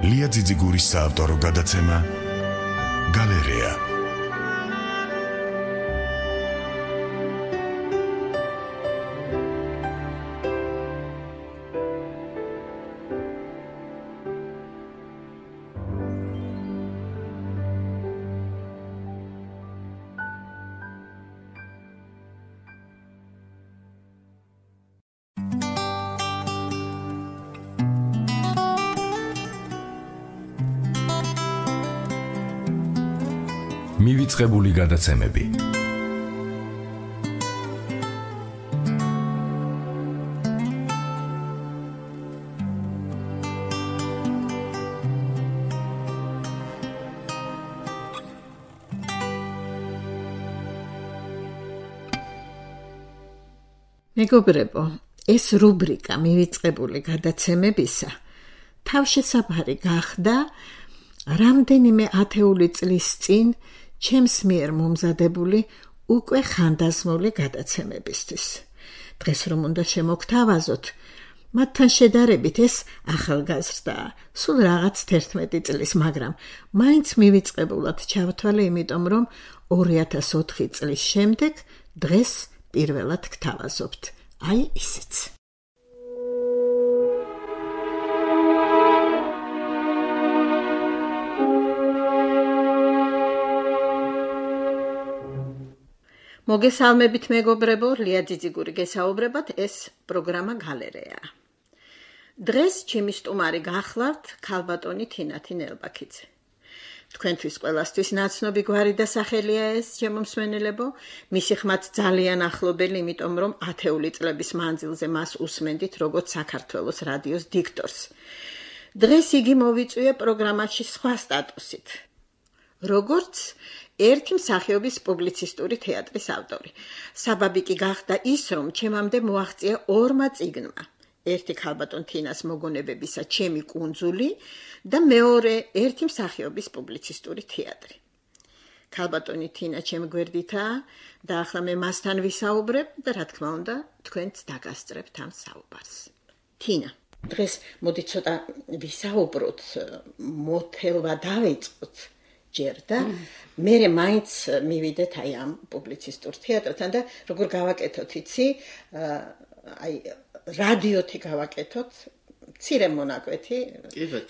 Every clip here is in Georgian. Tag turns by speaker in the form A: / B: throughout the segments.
A: ლია ძიძიგურის საავტორო გადაცემა გალერეა. მივიწყებული გადაცემები.
B: მეგობრებო, ეს რუბრიკა მივიწყებული გადაცემებისა თავშესაფარი გახდა რამდენიმე ათეული წლის წინ ჩემს მიერ მომზადებული უკვე ხანდაზმული გადაცემებისთვის. დღეს რომ უნდა შემოგთავაზოთ, მათთან შედარებით ეს ახალგაზრდაა, სულ რაღაც 11 წლის, მაგრამ მაინც მივიწყებულად ჩავთვალე, იმიტომ რომ 2004 წლის შემდეგ დღეს პირველად გთავაზობთ. აი ისიც. მოგესალმებით მეგობრებო, ლია ძიძიგური გესაუბრებათ, ეს პროგრამა გალერეა. დღეს ჩემი სტუმარი გახლავთ ქალბატონი თინათი ნელბაქიძე. თქვენთვის ყველასთვის ნაცნობი გვარი და სახელია ეს, ჩემო მსმენელებო, მისი ხმათ ძალიან ახლობელი, იმიტომ რომ ათეული წლების მანძილზე მას უსმენდით როგორც საქართველოს რადიოს დიქტორს. დღეს იგი მოვიწვია პროგრამაში სხვა სტატუსით, როგორც ერთი მსახიობის პუბლიცისტური თეატრის ავტორი. საბაბი კი გახდა ის, რომ ჩემამდე მოაღწია ორმა წიგნმა. ერთი ქალბატონ თინას მოგონებებისა ჩემი კუნძული და მეორე ერთი მსახიობის პუბლიცისტური თეატრი. ქალბატონი თინა ჩემ გვერდითაა და ახლა მე მასთან ვისაუბრებ და რა თქმა უნდა, თქვენც დაგასწრებთ ამ საუბარს. თინა, დღეს მოდი ცოტა ვისაუბროთ, მოთელვა დავიწყოთ. ჯერ და მე მაინც მივიდეთ აი ამ პუბლიცისტურ თეატრთან და როგორ გავაკეთოთ იცი, აი რადიოთი გავაკეთოთ, მცირე მონაკვეთი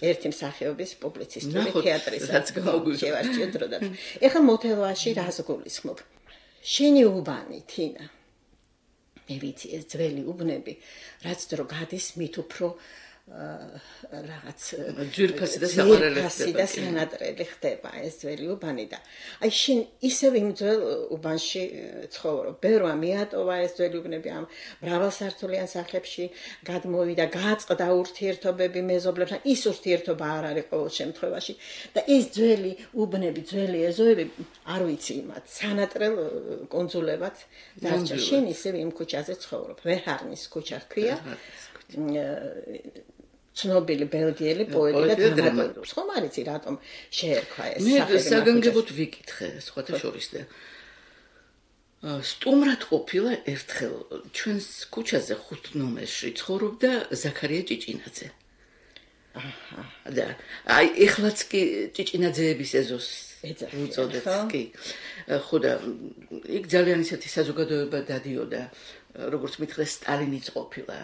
B: ერთი მსახიობის პუბლიცისტური თეატრისაც შევარჩიო დროდადრო. ეხლა მოთელვაში რას გულისხმობ? შენი უბანი თინა. მე ვიცი ეს ძველი უბნები, რაც დრო გადის მით უფრო რაღაც
C: ძვირფასი და
B: სანატრელი ხდება ეს ძველი უბანი და აი შენ ისევ იმ ძველ უბანში ცხოვრობ. ბევრმა მიატოვა ეს ძველი უბნები ამ მრავალსართულიან სახლებში გადმოვიდა, გააწყდა ურთიერთობები მეზობლებთან, ის ურთიერთობა არ არის ყოველ შემთხვევაში და ეს ძველი უბნები, ძველი ეზოები, არ ვიცი მათ სანატრელ კუნძულებად დარჩა. შენ ისევ იმ ქუჩაზე ცხოვრობ. ვერჰარნის ქუჩა ჰქვია. ცნობილი ბელგიელი პოეტი და დრამატურგი. ხომ არ იცი რატომ შეერქვა ეს სახელი?
C: მე საგანგებოდ ვიკითხე სხვათა შორის და სტუმრად ყოფილა ერთხელ ჩვენს ქუჩაზე 5 ნომერში ცხოვრობდა ზაქარია ჭიჭინაძე. და აი ეხლაც კი ჭიჭინაძეების ეზოს უწოდებს კი. ხო და იქ ძალიან ისეთი საზოგადოება დადიოდა, როგორც მითხრა სტალინიც ყოფილა.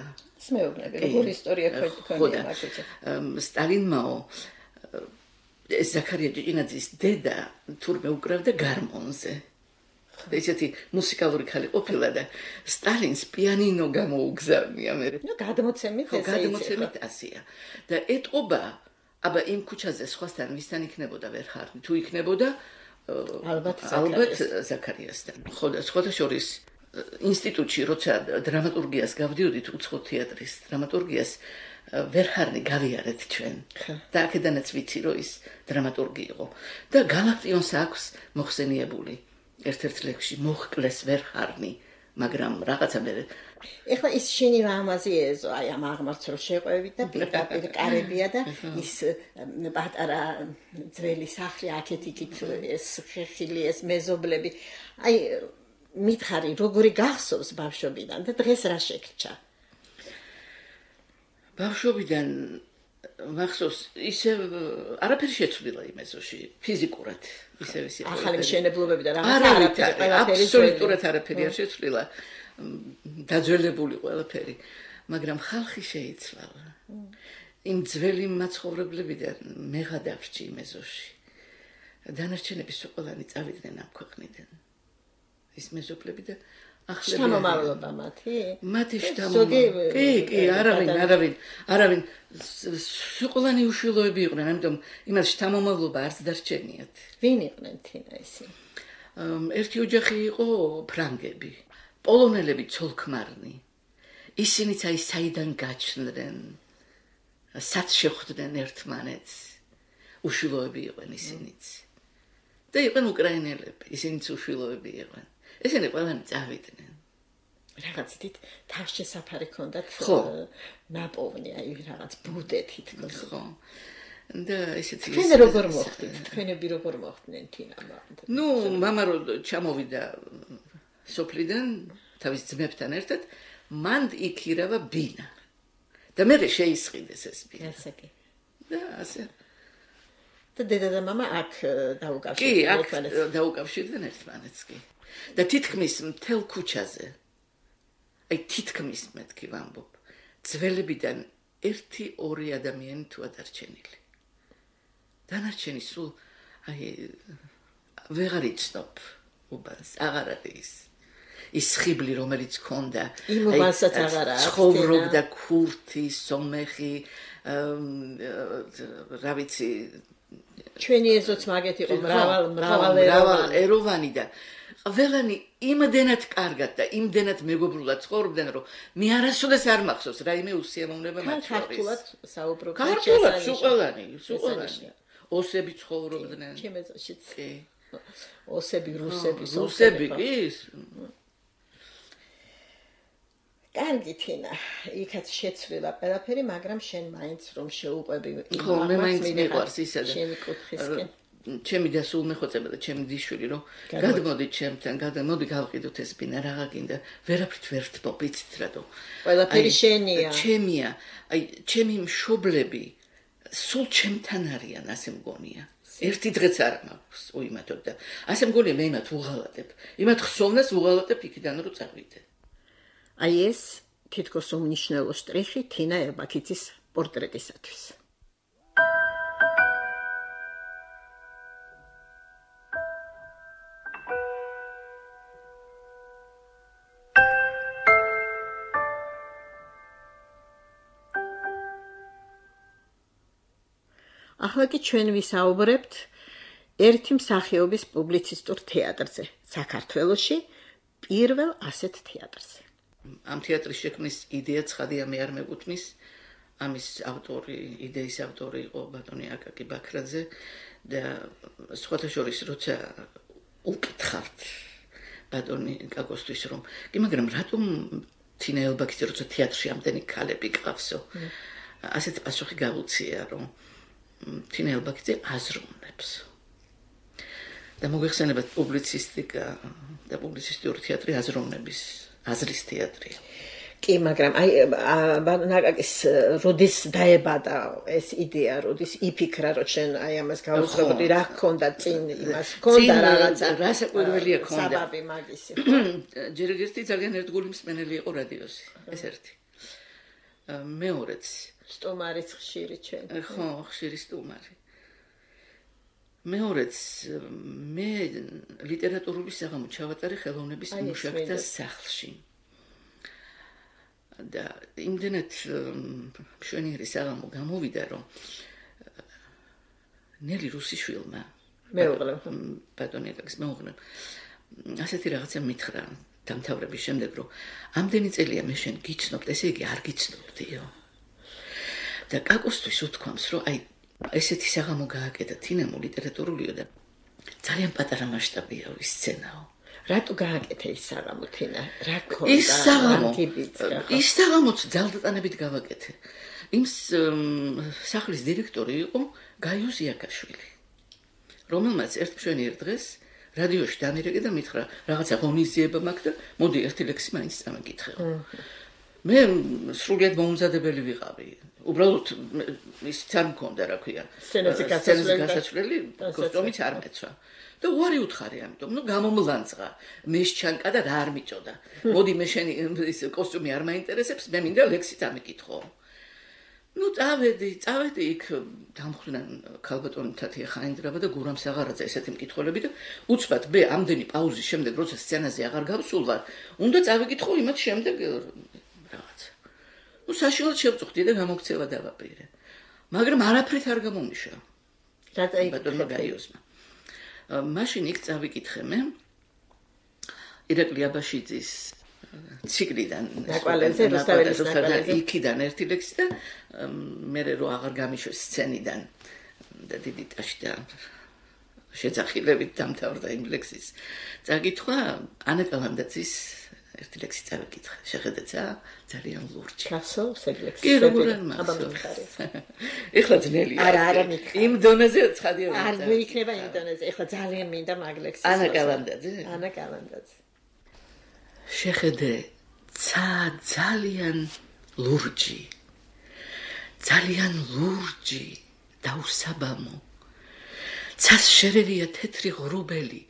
B: მეუბნები, როგორ ისტორია ქონია მაგაზე.
C: სტალინმაო ეს ზაქარია ჭიჭინაძის დედა თურმე უკრავდა გარმონზე. და ისეთი მუსიკალური ქალი ყოფილა და სტალინს პიანინო გამოუგზავნია მე.
B: ნუ გადმოცემით ესე
C: გადმოცემით ასია. და ეტყობა, აბა იმ ქუჩაზე სხვასთან ვისთან იქნებოდა ვერჰარნი, თუ იქნებოდა
B: ალბათ
C: ზაქარიასთან. ხო და სხვათა შორის ინსტიტუტში როცა დრამატურგიას გავდიოდით, უცხო თეატრის დრამატურგიას, ვერჰარნი გავიარეთ ჩვენ. და აქედანაც ვიცი, რომ ის დრამატურგი იყო. და გალაქტიონს აქვს მოხსენიებული ერთ-ერთ ლექსში მოხკლეს ვერჰარნი, მაგრამ რაღაცა მე
B: ეხლა ის შენი რამაზი ეზო, აი ამ აღმართს რო შეყვევით და პირდაპირ კარებია და ის პატარა ძველი სახლი აქეთ-იქით ეს ხილი, ეს მეზობლები. აი მითხარი, როგორი გახსოვს ბავშვობიდან და დღეს რა შეგჭა?
C: ბავშვობიდან მახსოვს ისე არაფერი შეცვლილა იმ ეზოში ფიზიკურად ისევ ისე
B: ახალი მშენებლობები და
C: რაღაცა აბსოლუტურად არაფერი არ შეცვლილა დაძველებული ყველაფერი მაგრამ ხალხი შეიცვალა იმ ძველი მაცხოვრებლებიდან მე გადავრჩი იმ ეზოში დანარჩენები ყველანი წავიდნენ ამ ქვეყნიდან ის მეზობლები და ახლები
B: შთამომავლობა მათი
C: შთამომავლობა კი არავინ ყველანი უშვილოები იყვნენ ამიტომ იმას შთამომავლობა არც დარჩენიათ
B: ვინ იყვნენ თინა ისინი
C: ერთი ოჯახი იყო ფრანგები პოლონელები ცოლქმარნი ისინიც აი საიდან გაჩნდნენ სად შეხვდნენ ერთმანეთს უშვილოები იყვნენ ისინიც და იყვნენ უკრაინელები ისინიც უშვილოები იყვნენ ესენი ყველანი წავიდნენ
B: რაღაც დიდ თავშესაფარი ჰქონდათ ნაპოვნი აი რაღაც ბუდე თითქოს
C: ხო და ესეთი
B: თქვენ როგორ მოხდით თქვენები როგორ მოხდნენ თინა
C: ნუ მამა რო ჩამოვიდა სოფლიდან თავის ძმებთან ერთად მან იქირავა ბინა და მე შეისყიდეს ეს ბინა
B: ასე კი
C: და ასე
B: და დედა და მამა აქ დაუკავშირდნენ
C: ერთმანეთს კი აქ დაუკავშირდნენ ერთმანეთს კი და თითქმის მთელ ქუჩაზე აი თითქმის მეთქი ვამბობ ძველებიდან 1-2 ადამიანი თუ ადარჩენილი დანარჩენი სულ აი ვეღარ იცნობ უბანს აღარ არის ის ხიბლი რომელიც ქონდა
B: იმ უბანსაც აღარ არის
C: ცხოვრობდა ქურთი სომეხი რა ვიცი
B: ჩვენი ეზოც მაგეთი იყო მრავალეროვანი
C: და ყველანი იმდენად კარგად და იმდენად მეგობრულად ცხოვრობდნენ რომ მე არასოდეს არ მახსოვს რაიმე უსიამოვნება მათ შორის
B: ქართულად საუბრობდნენ
C: ქართულად სულ ყველანი ოსები ცხოვრობდნენ
B: ჩემ ეზოშიც
C: კი
B: ოსები
C: რუსები კი
B: კარგი თინა იქაც შეცვლილა ყველაფერი მაგრამ შენ მაინც რომ შეუყვები
C: ხო მე მაინც მიყვარს ისა და
B: ჩემი კუთხისკენ
C: ჩემი და სულ მეხოწება და ჩემი დიშვილი რომ გადმოდი ჩემთან მოდი გავყიდოთ ეს ბინა რაღა გინდა ვერაფრით ვერ თმობიცით რატო
B: ყველაფერი შენია
C: ჩემია აი ჩემი მშობლები სულ ჩემთან არიან ასე მგონია ერთი დღეც არ მაქვს უიმათოდ და ასე მგონია მე იმათ უღალატებ იმათ ხსოვნას უღალატებ იქიდან რომ წავიდე
B: აი ეს თითქოს უმნიშვნელო შტრიხი თინა ერბაქიძის პორტრეტისათვის ახლა კი ჩვენ ვისაუბრებთ ერთი მსახიობის პუბლიცისტურ თეატრზე საქართველოში პირველ ასეთ თეატრზე
C: ამ თეატრის შექმნის იდეა ცხადია მე არ მეკუთვნის ამის ავტორი იდეის ავტორი იყო ბატონი აკაკი ბაქრაძე და სხვათა შორის როცა უკითხავთ ბატონი კაკოსთვის რომ კი მაგრამ რატომ თინა ერბაქიძე როცა თეატრში ამდენი ქალები ყავსო ასეთ პასუხი გავუწია რომ თინა ერბაქიძე აზროვნებს და მოგეხსენებათ პუბლიცისტიკა და პუბლიცისტური თეატრი აზროვნების აზრის თეატრია.
B: კი, მაგრამ აი ნაკაკის როდის დაებადა ეს იდეა, როდის იფიქრა, რომ შენ აი ამას გავუძღობდი, რა ჰქონდა წინ იმას, ჰქონდა რაღაცა,
C: რა საკვირველია ჰქონდა.
B: საბაბი მაგისი.
C: ჯერ ერთი ძალიან ერთგული მსმენელი იყო რადიოსი, ეს ერთი. მეორეც
B: სტუმარიც ხშირი ჩვენ.
C: ხო, ხშირი სტუმარი. მეორეც მე ლიტერატურული საღამო ჩავატარე ხელოვნების მუშაკთა სახლში. და იმდენად მშვენიერი საღამო გამოვიდა, რომ ნელი რუსიშვილმა
B: მეუღლემ
C: ბატონი აკაკის მეუღლემ ასეთი რაღაცა მითხრა დამთავრების შემდეგ, რომ ამდენი წელია მე შენ გიცნობთ, ესე იგი არ გიცნობდიო. და კაკოსთვის უთქვამს, რომ აი ესეთი საღამო გააკეთა თინემო ლიტერატურულია და ძალიან პატარა მასშტაბია ის სცენაო.
B: რატო გააკეთა ის საღამო თინა? რა ქონდა?
C: ის საღამოც ძალდატანებით გავაკეთე. იმ სახლის დირექტორი იყო გაიუს იაკაშვილი, რომელმაც ერთ მშვენიერ დღეს რადიოში დამირეკე და მითხრა, რაღაცა ღონისძიება მაქვს და მოდი ერთი ლექსი მაინც წამეკითხე. მე სრულიად მოუმზადებელი ვიყავი. უბრალოდ ისიც არ მქონდა, რა ქვია.
B: სცენაზე
C: გასასვლელი კოსტუმიც არ მეცვა. და უარი უთხარი ამიტომ, გამომლანძღა, მეშჩანკა და რა არ მიწოდა. მოდი მე შენი ის კოსტუმი არ მაინტერესებს, მე მინდა ლექსი წამიკითხო. წავედი იქ დამხრიდან ქალბატონი თათია ხაინდრავა და გურამ საღარაძე ესეთი მკითხველები და უცბად მე ამდენი პაუზის შემდეგ როცა სცენაზე აღარ გავსულ ვარ, უნდა წავიკითხო იმათ შემდეგ რაღაცა. საშუალოდ შევწუხდი და გამოგცევა დავაპირე. მაგრამ არაფრით არ გამომიშა.
B: რა წაიკითხე?
C: ბატონმა გაიოსმა. მაშინ იქ წავიკითხე მე ირაკლი აბაშიძის ციკლიდან
B: ნაკვალებზე
C: იქიდან ერთი ლექსი და მე რო აღარ გამიშვეს სცენიდან და დიდი ტაში და შეძახილებით დამთავრდა იმ ლექსის წაკითხვა ანა კალანდაძის ერთი ლექსი წავიკითხე შეხედეცა ძალიან ლურჯი
B: გასულს ეგ ლექსი
C: კი როგორ მახსოვს ეხლა ძნელია
B: არა მითხარ
C: იმ დონეზე ცხადია
B: არ მეიქნება იმ დონეზე ეხლა ძალიან მინდა მაგ ლექსის
C: ანა კალანდაძე შეხედე ძალიან ლურჯი და უსაბამო ცას შერევია თეთრი ღრუბელი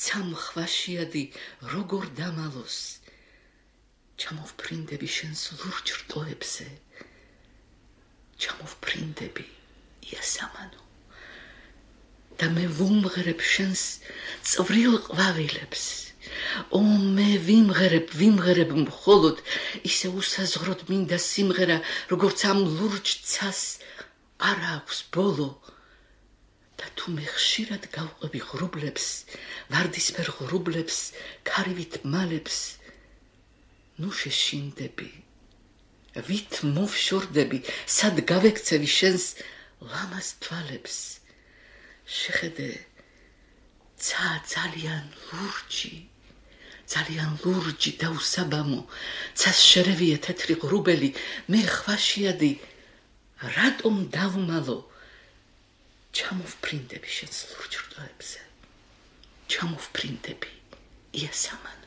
C: ცამხვაშიადი როგორ დამალოს ჩამოვფრინდები შენს ლურჯ რტოებზე ჩამოვფრინდები იასამანო და მე ვუმღერებ შენს წვრილ ყვავილებს მე ვიმღერებ მხოლოდ ისე უსაზღროდ მინდა სიმღერა როგორც ამ ლურჯ ცას არ აქვს ბოლო და თუ მე ხშირად გავყვები ღრუბლებს ვარდისფერ ღრუბლებს ქარივით მალებს ნუ შეშინდები ვით მოვშორდები სად გავექცევი შენს ლამაზ თვალებს შეხედე ძალიან ლურჯი და უსაბამო ცას შერევია თეთრი ღრუბელი მე ხვაშიადი რატომ დავმალო ჩამოვფრინდები შენს ლურჯ რტოებზე ჩამოვფრინდები იასამანო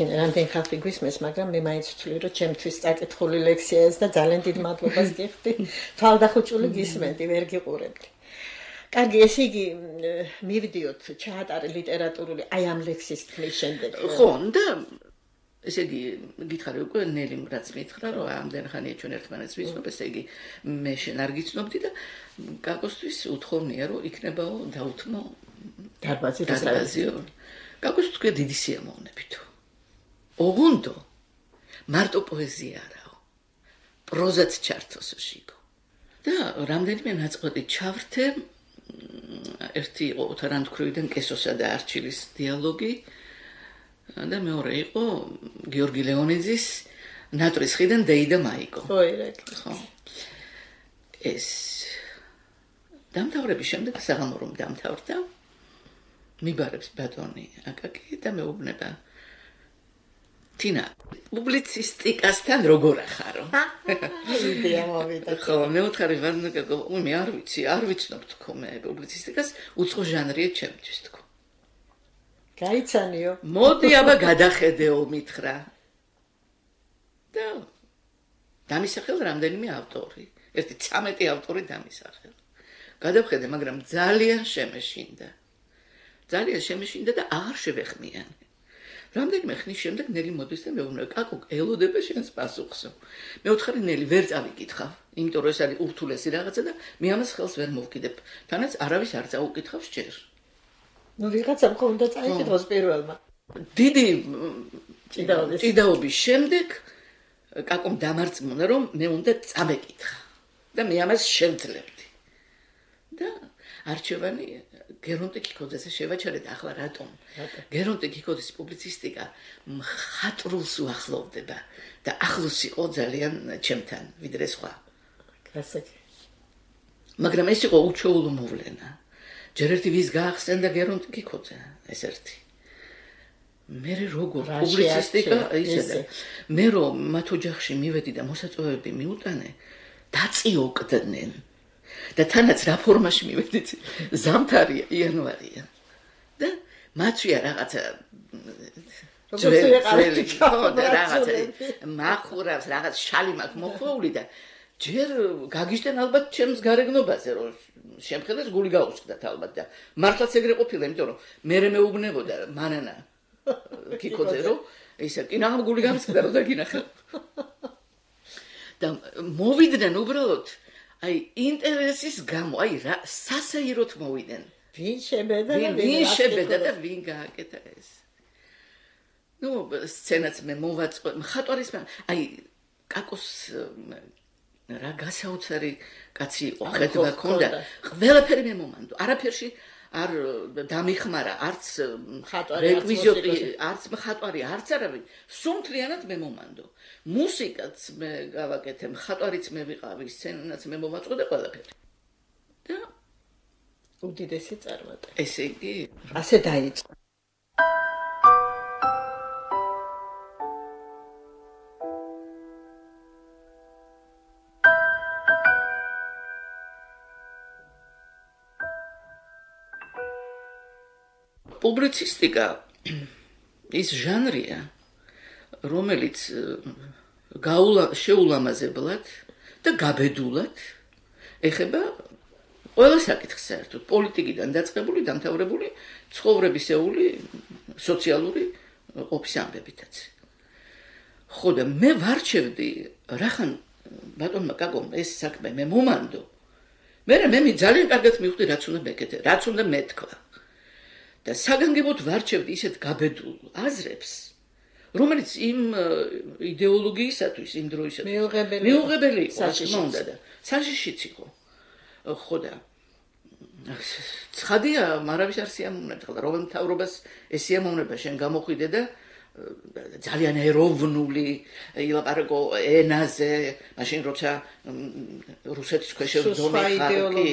B: რამდენი ხალხი გვისმენს, მაგრამ მე მაინც ვთვლი, რომ ჩემთვის წაკითხული ლექსია ეს და ძალიან დიდ მადლობას გიხდი. თვალდახუჭული გისმენდი, ვერ გიყურებდი. კარგი, ესე იგი მივიდიოთ, ჩაატარე ლიტერატურული აი ამ ლექსის თქმის შემდეგ.
C: ხო, და ესე იგი გითხარი უკვე ნელიმ რაც მითხრა, რომ ამდენ ხანია ჩვენ ერთმანეთს ვიცნობ, ესე იგი მე შენ არ გიცნობდი და გაკოსთვის უთხოვნია, რომ იქნებაო დაუთმო დარბაზიო. გაკოს თქვი დიდი სიამოვნებითო. ოღონდ მარტო პოეზია არაო. პროზაც ჩართოს შიგო. და რამდენიმე ნაწყვეტი ჩავრთე ერთი იყო თარანთქროვიდან კესოსა და არჩილის დიალოგი და მეორე იყო გიორგი ლეონიძის ნატრის ხიდან დეიდა მაიკო.
B: ხო.
C: ეს დამთავრების შემდეგ საღამორომ დამთავრდა. მიბარებს ბატონი აკაკი და მეუბნება თინა პუბლიცისტიკასთან როგორ ახარო?
B: იდეა მოვიდა.
C: ხო, მე უთხარი ვარნაკაკო, მე არ ვიცნობ თქო მე პუბლიცისტიკას, უცხო ჟანრია ჩემთვის თქო.
B: გაიცანიო.
C: მოდი აბა გადახედეო მითხრა. და დამისახელ რამდენიმე ავტორი, ერთი 13 ავტორი დამისახელ. გადავხედე, მაგრამ ძალიან შემეშინდა. და აღარ შევეხმიანე. რამდენიმე ხნის შემდეგ ნელი მოდის და მეუბნება, კაკო, ელოდება შენს პასუხსო. მე უთხარი ნელი, ვერ წავიკითხავ, იმიტომ რომ ეს არის ურთულესი რაღაცა და მე ამას ხელს ვერ მოვკიდებ. თანაც არავის არ წაუკითხავს ჯერ.
B: ნუ ვიღაცამ ხო უნდა წაიკითხოს პირველმა.
C: დიდი ჭიდაობის შემდეგ კაკომ დამარწმუნა, რომ მე უნდა წამეკითხა და მე ამას შევძლებდი. და არჩევანი გერონტე კიკოძეს შევაჩერე და ახლა რატომ? გერონტე კიკოძის პუბლიცისტიკა მხატვრულს უახლოვდება და ახლოს იყო ძალიან ჩემთან, ვიდრე სხვა.
B: გასაგები.
C: მაგრამ ეს იყო უჩვეულო მოვლენა. ჯერ ერთი ვის გაახსენდა გერონტე კიკოძე, ეს ერთი. მე როგორ პუბლიცისტიკა ისედა. მე რომ მათ ოჯახში მივედი და მოსაწვევები მიუტანე, დაწიოკვდნენ. და თანაც რა ფორმაში მივედით ზამთარია იანვარია და მათვია რაღაცა მახურავს რაღაც შალი მაქვს მოხვეული და ჯერ გაგიჟდენ ალბათ ჩემს გარეგნობაზე რომ შემხედეს გული გაუსხდათ ალბათ და მართლაც ეგრე ყოფილა იმიტომ რომ მე მეუბნებოდა მანანა კიკოძე რომ ისე კინაღამ გული გამისკდა რომ დაგინახე და მოვიდნენ უბრალოდ აი ინტერესის გამო აი რა სასაიროთ მოვიდნენ
B: ვინ შებედა
C: და ვინ გააკეთა ეს ნუ სცენაც მე მოვაწყო მხატვარის აი კაკოს რა გასაოცარი კაცი იყო ხედვა ქონდა ყველაფერი მე მომანდო არაფერში არ დამიხმარა არც რეკვიზიტი არც მხატვარი არც არავინ სუმთლიანად მე მომანდო მუსიკაც მე გავაკეთე მხატვარიც მე ვიყავი სცენაც მე მოვაწყო და ყველაფერი და
B: უდიდესი წარმატება
C: ესე იგი
B: ასე დაიწყო
C: პუბლიცისტიკა ის ჟანრია რომელიც შეულამაზებლად და გაბედულად ეხება ყველა საკითხს საერთოდ პოლიტიკიდან დაწყებული დამთავრებული ცხოვრებისეული სოციალური ყოფის ამბებითაც ხო და მე ვარჩევდი რახან ბატონმა კაკომ ეს საქმე მე მომანდო მე ძალიან კარგად მივხვდი რაც უნდა მეკეთე რაც უნდა მეთქვა და საგანგებოდ ვარჩევდი ისეთ გაბედულ აზრებს, რომელიც იმ იდეოლოგიისათვის იმ დროისათვის მიუღებელი იყო, რა თქმა უნდა და საშიშიც იყო. ხო და ცხადია, მარავის არ სიამოვნებდა, რომ მთავრობას ეს სიამოვნება შენ გამოხვიდე და ძალიან ეროვნული ილაპარაკო ენაზე, მაშინ როცა რუსეთის ქვეშ ზონე ხალხი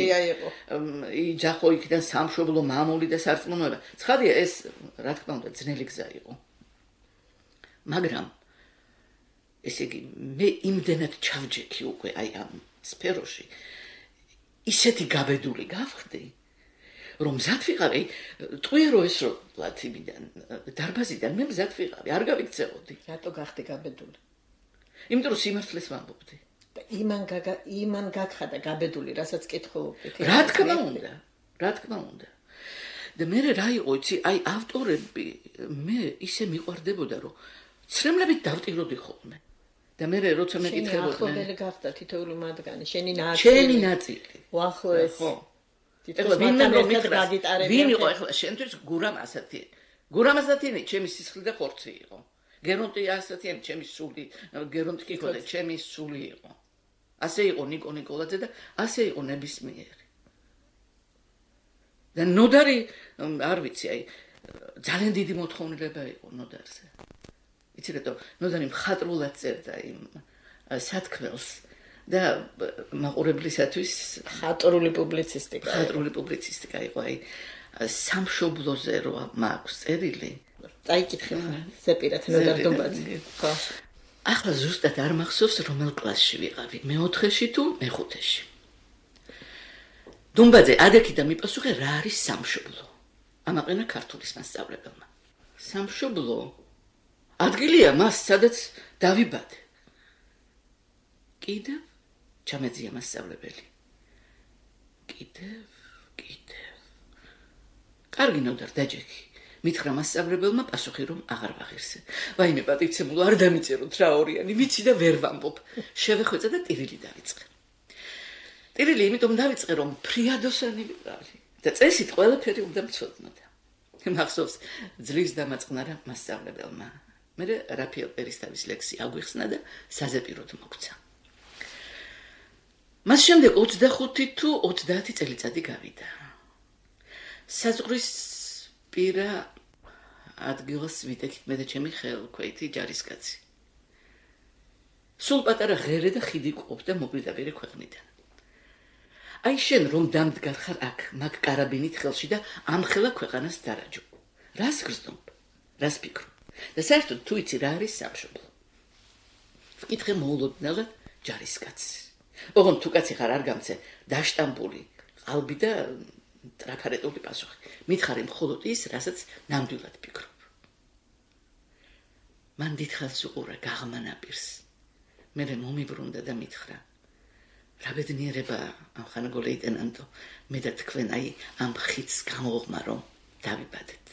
C: იჯახო იქიდან სამშობლო მამული და სარწმუნოება. ცხადია ეს, რა თქმა უნდა, ძნელი გზა იყო. მაგრამ ესე იგი, მე იმდენად ჩავჯექი უკვე აი ამ სფეროში, ისეთი გაბედული გავხდი, რომ მზად ვიყავი, ტყვიერო ეს რომ ლათინიდან, დარბაზიდან მე მზად ვიყავი, არ გავიქცეოდი.
B: რატო გახდი გაბედული?
C: იმიტომ რომ სიმართლეს ვამბობდი.
B: და იმან გაგხადა გაბედული, რასაც კითხულობდით.
C: რა თქმა უნდა. და მე რა იყო, იცი, აი ავტორები მე ისე მიყვარდებოდა, რომ ცრემლებით დავტიროდი ხოლმე. და მე როცა მეკითხებოდნენ.
B: შენი ახლობელი გახდა თითოეული მათგანი, შენი
C: ნაწილი.
B: უახლოეს.
C: ეხლა ვინმე რომ მითხრა ვინ იყო ეხლა შენთვის გურამ ასათიანი გურამ ასათიანი ჩემი სისხლი და ხორცი იყო გერონტი ასათიანი ჩემი სული გერონტი კიკოძე ჩემი სული იყო ასე იყო ნიკო ნიკოლაძე და ასე იყო ნებისმიერი და ნოდარი არ ვიცი აი ძალიან დიდი მოთხოვნილება იყო ნოდარზე იცი რატო ნოდარი მხატვრულად წერდა იმ სათქმელს და მაყურებლისათვის
B: ხატრული პუბლიცისტიკა იყო აი სამშობლოზე რო მაქვს წერილი წაიკითხე ზეპირად ნოდარ დუმბაძე ხო
C: ახლა ზუსტად არ მახსოვს რომელ კლასში ვიყავი მე-4-ში თუ მე-5-ში დუმბაძე ადექი და მიპასუხე რა არის სამშობლო ამაყენა ქართულის მასწავლებელმა სამშობლო ადგილია მას სადაც დავიბადე კიდევ ჩამეძია მასწავლებელი. კიდევ. კარგი ნოდარ დაჯექი. მითხრა მასწავლებელმა პასუხი რომ აღარ ვაღირსე. ვაიმე პატიცემულო არ დამიწეროთ რა ორიანი, ვიცი და ვერ ვამბობ. შევეხვეწა და ტირილი დავიწყე. ტირილი იმიტომ დავიწყე რომ ფრიადოსანი ვიყავი და წესით ყველაფერი უნდა მცოდნოდა. მახსოვს ძლივს დამაწყნარა მასწავლებელმა. მე რაფიელ პერისთავის ლექსი აგვიხსნა და საზეპიროდ მოგცა. მას შემდეგ 25 თუ 30 წელიწადი გავიდა. საზღვრის პირა ადგილას ვიტეხით მე და ჩემი ხელქვეითი ჯარისკაცი. სულ პატარა ღერე და ხიდი ყოფდა მოგვიდაპირე ქვეყნიდან. აი შენ რომ დამდგარ ხარ აქ, მაგ კარაბინით ხელში და ამხელა ქვეყანას დარაჯო. რას გრძნობ? რას ფიქრობ? და საერთოდ თუ იცი რა არის სამშობლო? ვკითხე მოულოდნელად ჯარისკაცს. ოღონდ თუ კაცი ხარ არ გამცე დაშტამპული ყალბი და ტრაფარეტული პასუხი მითხარი მხოლოდ ის რასაც ნამდვილად ფიქრობ მან დიდხანს უყურა გაღმა ნაპირს. მერე მომიბრუნდა და მითხრა: რა ბედნიერება ამ ხანაგო ლეიტენანტო, მე და თქვენ აი ამ ხიდს გამოღმა რომ დავიბადეთ.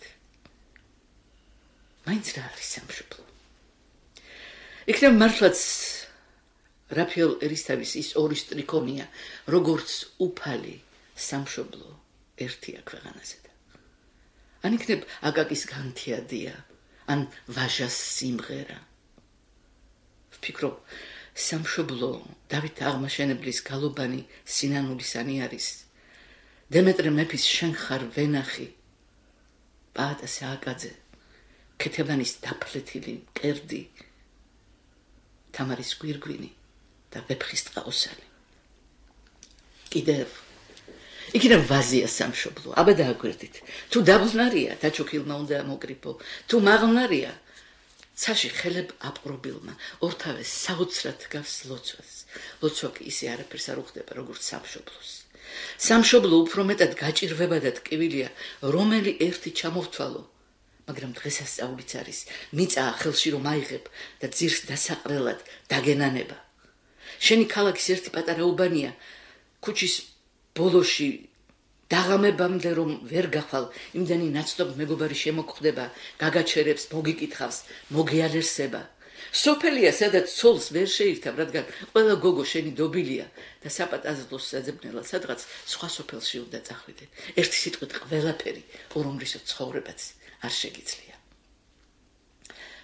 C: მაინც რა არის სამშობლო? იქნებ მართლაც რაფიელ ერისთავის ის ორი სტრიქონია, როგორც უფალი სამშობლო ერთია ქვეყანაზე და. ან იქნებ აკაკის განთიადია, ან ვაჟას სიმღერა. ვფიქრობ, სამშობლო დავით აღმაშენებლის გალობანი სინანულისანი არის. დემეტრე მეფის შენ ხარ ვენახი, პაატა სააკაძე, ქეთევანის დაფლეთილი მკერდი, თამარის გვირგვინი და ვეფხის ტყაოსანი. კიდევ იქნებ ვაზია სამშობლო, აბა დააგვერდით. თუ დაბლნარია, დაჩოქილმა უნდა მოკრიფო, თუ მაღლნარია, ცაში ხელებ აპყრობილმა, ორთავეს საოცრად გავს ლოცვას. ლოცვა კი ისე არაფერს არ უხდება, როგორც სამშობლოს. სამშობლო უფრო მეტად გაჭირვება და ტკივილია, რომელი ერთი ჩამოვთვალო, მაგრამ დღესასწაულიც არის, მიწაა ხელში რომ აიღებ და ძირს დასაყრელად დაგენანება. შენი ქალაქის ერთი პატარა უბანია, ქუჩის ბოლოში დაღამებამდე რომ ვერ გახვალ, იმდენი ნაცნობ მეგობარი შემოგხვდება, გაგაჩერებს, მოგიკითხავს, მოგეალერსება. სოფელია, სადაც ცოლს ვერ შეირთავ, რადგან ყველა გოგო შენი დობილია და საპატაზლოს საძებნელად სადღაც სხვა სოფელში უნდა წახვიდე. ერთი სიტყვით ყველაფერი, ორომრისო ცხოვრებაც არ შეგიძლია.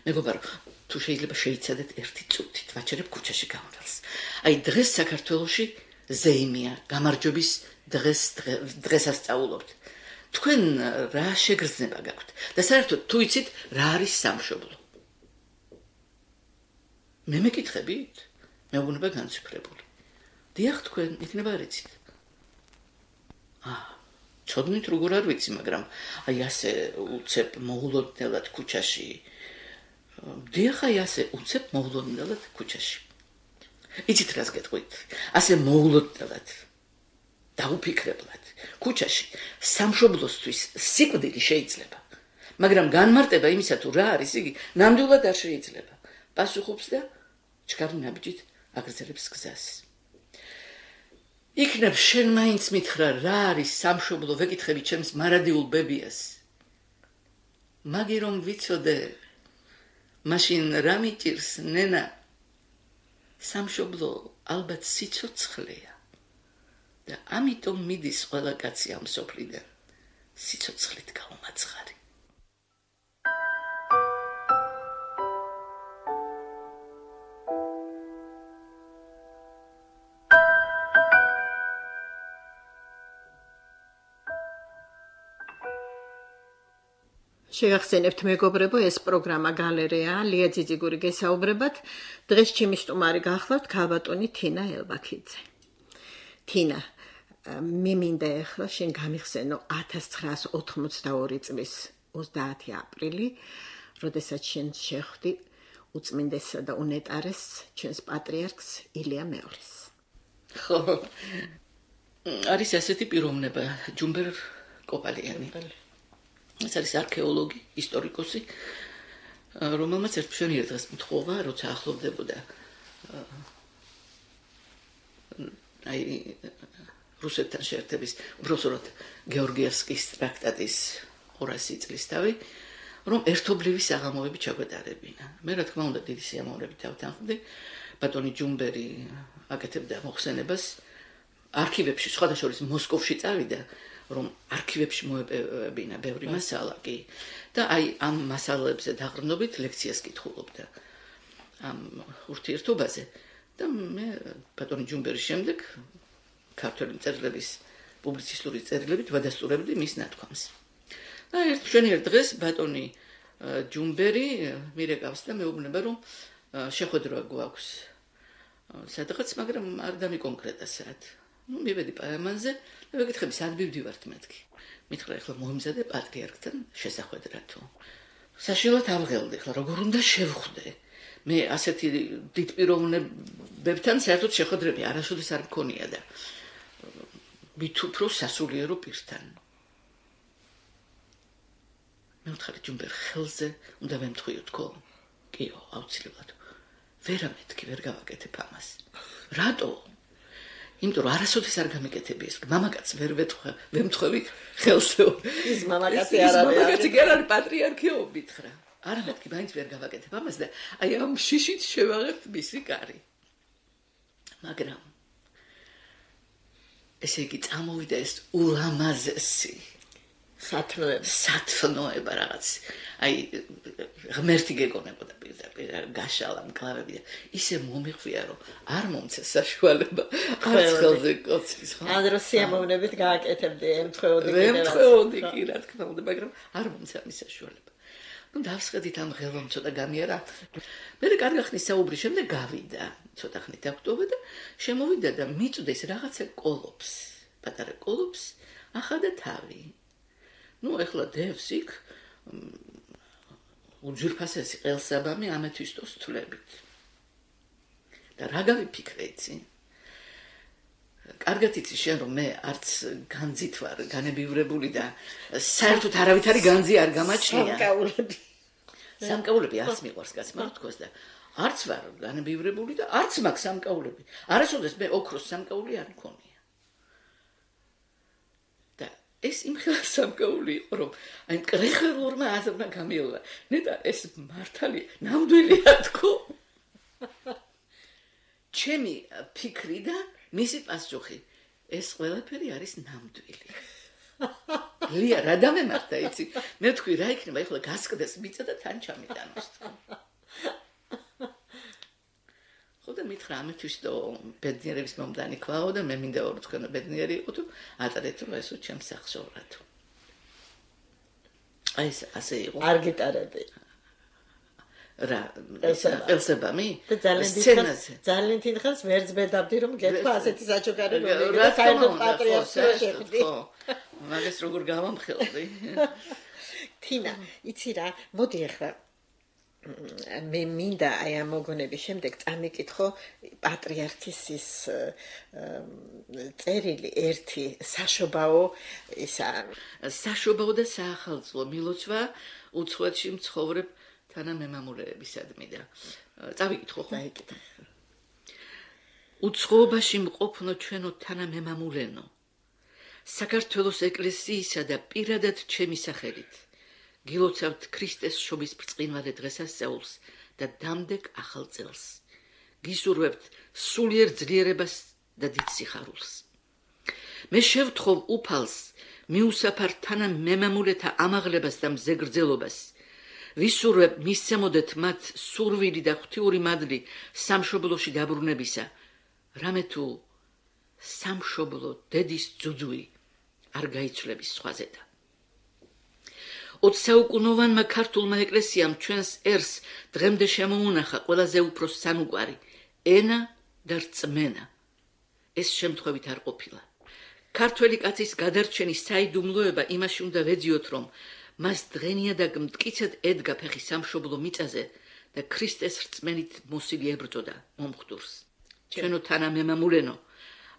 C: მეგობარო, თუ შეიძლება შეიცადეთ ერთი წუთით, ვაჩერებ ქუჩაში გამრელს. აი დღეს საქართველოში ზეიმია, გამარჯვების დღესასწაულობთ. თქვენ რა შეგრძნება გაქვთ და საერთოდ თუ იცით რა არის სამშობლო? მე მეკითხებით? მეუბნება განციფრებული. დიახ, თქვენ იქნება არ იცით. ცოდნით როგორ არ ვიცი, მაგრამ აი ასე უცებ მოულოდნელად ქუჩაში. დიახ, აი ასე უცებ მოულოდნელად ქუჩაში. იცით რას გეტყვით? ასე მოულოდნელად დაუფიქრებლად ქუჩაში სამშობლოსთვის სიკვდილი შეიძლება, მაგრამ განმარტება იმისა თუ რა არის იგი ნამდვილად არ შეიძლება. პასუხობს და ჩქარი ნაბიჯით აგრძელებს გზას. იქნებ შენ მაინც მითხრა რა არის სამშობლო, ვეკითხები ჩემს მარადიულ ბებიას. მაგი რომ ვიცოდე, მაშინ რა მიჭირს ნენა? სამშობლო ალბათ სიცოცხლეა და ამიტომ მიდის ყველა კაცი ამ სოფლიდან სიცოცხლით გაუმაცხარი.
B: შეგახსენებთ მეგობრებო, ეს პროგრამა გალერეა, ლია ძიძიგური გესაუბრებათ. დღეს ჩემი სტუმარი გახლავთ ქალბატონი თინა ელბაქიძე. თინა, მე მინდა ახლა შენ გამიხსენო 1982 წლის 30 აპრილი, როდესაც შენ შეხვდი უწმინდესსა და უნეტარეს ჩვენს პატრიარქს ილია მეორის.
C: ხო, არის ასეთი პიროვნება, ჯუმბერ კოპალიანი. ეს არის არქეოლოგი, ისტორიკოსი, რომელმაც ერთშენიერ დღეს მთხოვა, როცა ახლოვდებოდა აი რუსეთთან შეერთების, უბრალოდ გეორგიევსკის ტრაქტატის 200 წლისთავი, რომ ერთობლივი საღამოები ჩაგვეტარებინა. მე რა თქმა უნდა დიდი სიამოვნებით დავთანხმდი, ბატონი ჯუმბერი აკეთებდა მოხსენებას არქივებში, სხვადასხვა მოსკოვში წავიდა, რომ არქივებში მოეპოვებინა ბევრი მასალა კი და აი ამ მასალებზე დაყრდნობით ლექციას კითხულობდა ამ ურთიერთობაზე და მე ბატონი ჯუმბერის შემდეგ ქართული მწერლების პუბლიცისტური წერილებით ვადასტურებდი მის ნათქვამს. და ერთშენიერ დღეს ბატონი ჯუმბერი მირეკავს და მეუბნება რომ შეხვედრა გვაქვს სადღაც, მაგრამ არ დამიკონკრეტა საათ. მივედი პაემანზე და ვეკითხები სად მივდივართ მეთქი. მითხრა ახლა მოიმზადე პატრიარქთან შესახვედრა თუ. საშინელად ავღელდი, ახლა როგორ უნდა შევხვდე. მე ასეთი დიდ პიროვნებებთან საერთოდ შეხვედრები არასოდეს არ მქონია და მით უფრო სასულიერო პირთან. მე ვთხარი ჯუმბერ ხელზე უნდა ვემთხვიო თქო. კიო, აუცილებლად. ვერამეთქი ვერ გავაკეთებ ამას. რატო? იმიტომ რომ არასოდეს არ გამიკეთები ეს. მამაკაც ვერ ვემთხვევი ხელსო.
B: ის მამაკაცი არ არის.
C: მამაკაცი კი არ არის პატრიარქიო მითხრა. არამეთქი მაინც ვერ გავაკეთებ ამას და აი ამ შიშით შევაღებთ მისი კარი. მაგრამ ესე იგი წამოვიდა ეს ულამაზესი სათნოება რაღაც. აი ღმერთი გეკონებოდა პირდაპირ გაშალა მკლავები და ისე მომიხვია რომ არ მომცა საშუალება არც ხელზე კოცრის ხო?
B: ადრო სიამოვნებით გააკეთებდი ემთხვეოდი კიდევ.
C: ვემთხვეოდი კი რა თქმა უნდა, მაგრამ არ მომცა მის საშუალება. ნუ დავსხედით ამ ღელვამ ცოტა გამიარა. მე კარგი ხნის საუბრის შემდეგ გავიდა. ცოტა ხნით დაგვტოვა და შემოვიდა და მიწვდეს რაღაცა კოლოფს. პატარა კოლოფს ახადა თავი. ნუ ეხლა დევს იქ უჯირფასესი ყელსაბამი ამეთვისტოს თვლებით. და რა გავიფიქრე იცი? კარგად იცი შენ რომ მე არც განძით ვარ განებივრებული და საერთოდ არავითარი განძი არ გამაჩნია. სამკაულები არც მიყვარს კაცმა თქოს და არც ვარ განებივრებული და არც მაქვს სამკაულები. არასოდეს მე ოქროს სამკაული არ მქონია. და ეს იმხელა სამკაული იყო რომ აი მკრეხელურმა აზრმა გამიელა. ნეტა ეს მართალი ნამდვილია თქო. ჩემი ფიქრი და მისი პასუხი ეს ყველაფერი არის ნამდვილი. ლია რა დამემართა იცი? მე თქვი რა იქნება ეხლა გასკდეს მიწა და თან ჩამიტანოს. ხო და მითხრა ამეთვისტო ბედნიერების მომდანი ქვაო და მე მინდა რომ თქვენ ბედნიერი იყოთ ატარეთ რომ ესო ჩემს სახშოვრათ. აი ეს ასე იყო.
B: არ გიტარები.
C: რა ელსებამი
B: და ძალიან დიდხანს ვერც ბედავდი რომ გეთქვა ასეთი საჩუქარი რომ
C: რა
B: საერთოდ პატრიარქს შეხვდი.
C: მაგას როგორ გავამხელდი?
B: თინა, იცი რა, მოდი ახლა მე მინდა აი ამ მოგონების შემდეგ წამიკითხო პატრიარქის ის წერილი ერთი საშობაო ისა
C: საშობაო და საახალწლო მილოცვა უცხოეთში მცხოვრებ თანამემამულეებისადმი და წავიკითხო ხო?
B: დაიკითხე.
C: უცხოობაში მყოფნო ჩვენო თანამემამულენო საქართველოს ეკლესიისა და პირადად ჩემი სახელით გილოცავთ ქრისტეს შობის ბრწყინვალე დღესასწაულს და დამდეგ ახალ წელს. გისურვებთ სულიერ ძლიერებას და დიდ სიხარულს. მე შევთხოვ უფალს მიუსაფარ თანამემამულეთა ამაღლებას და მზეგრძელობას. ვისურვებ მისცემოდეთ მათ სურვილი და ღვთიური მადლი სამშობლოში დაბრუნებისა, რამე თუ სამშობლო დედის ძუძუი არ გაიცვლების სხვაზე და 20 საუკუნოვანმა ქართულმა ეკლესიამ ჩვენს ერს დღემდე შემოუნახა ყველაზე უფრო სანუკვარი ენა და რწმენა. ეს შემთხვევით არ ყოფილა. ქართველი კაცის გადარჩენის საიდუმლოება იმაში უნდა ვეძიოთ, რომ მას დღენიადაგ მტკიცედ ედგა ფეხი სამშობლო მიწაზე და ქრისტეს რწმენით მოსილი ებრძოდა მომხდურს. ჩვენო თანამემამულენო,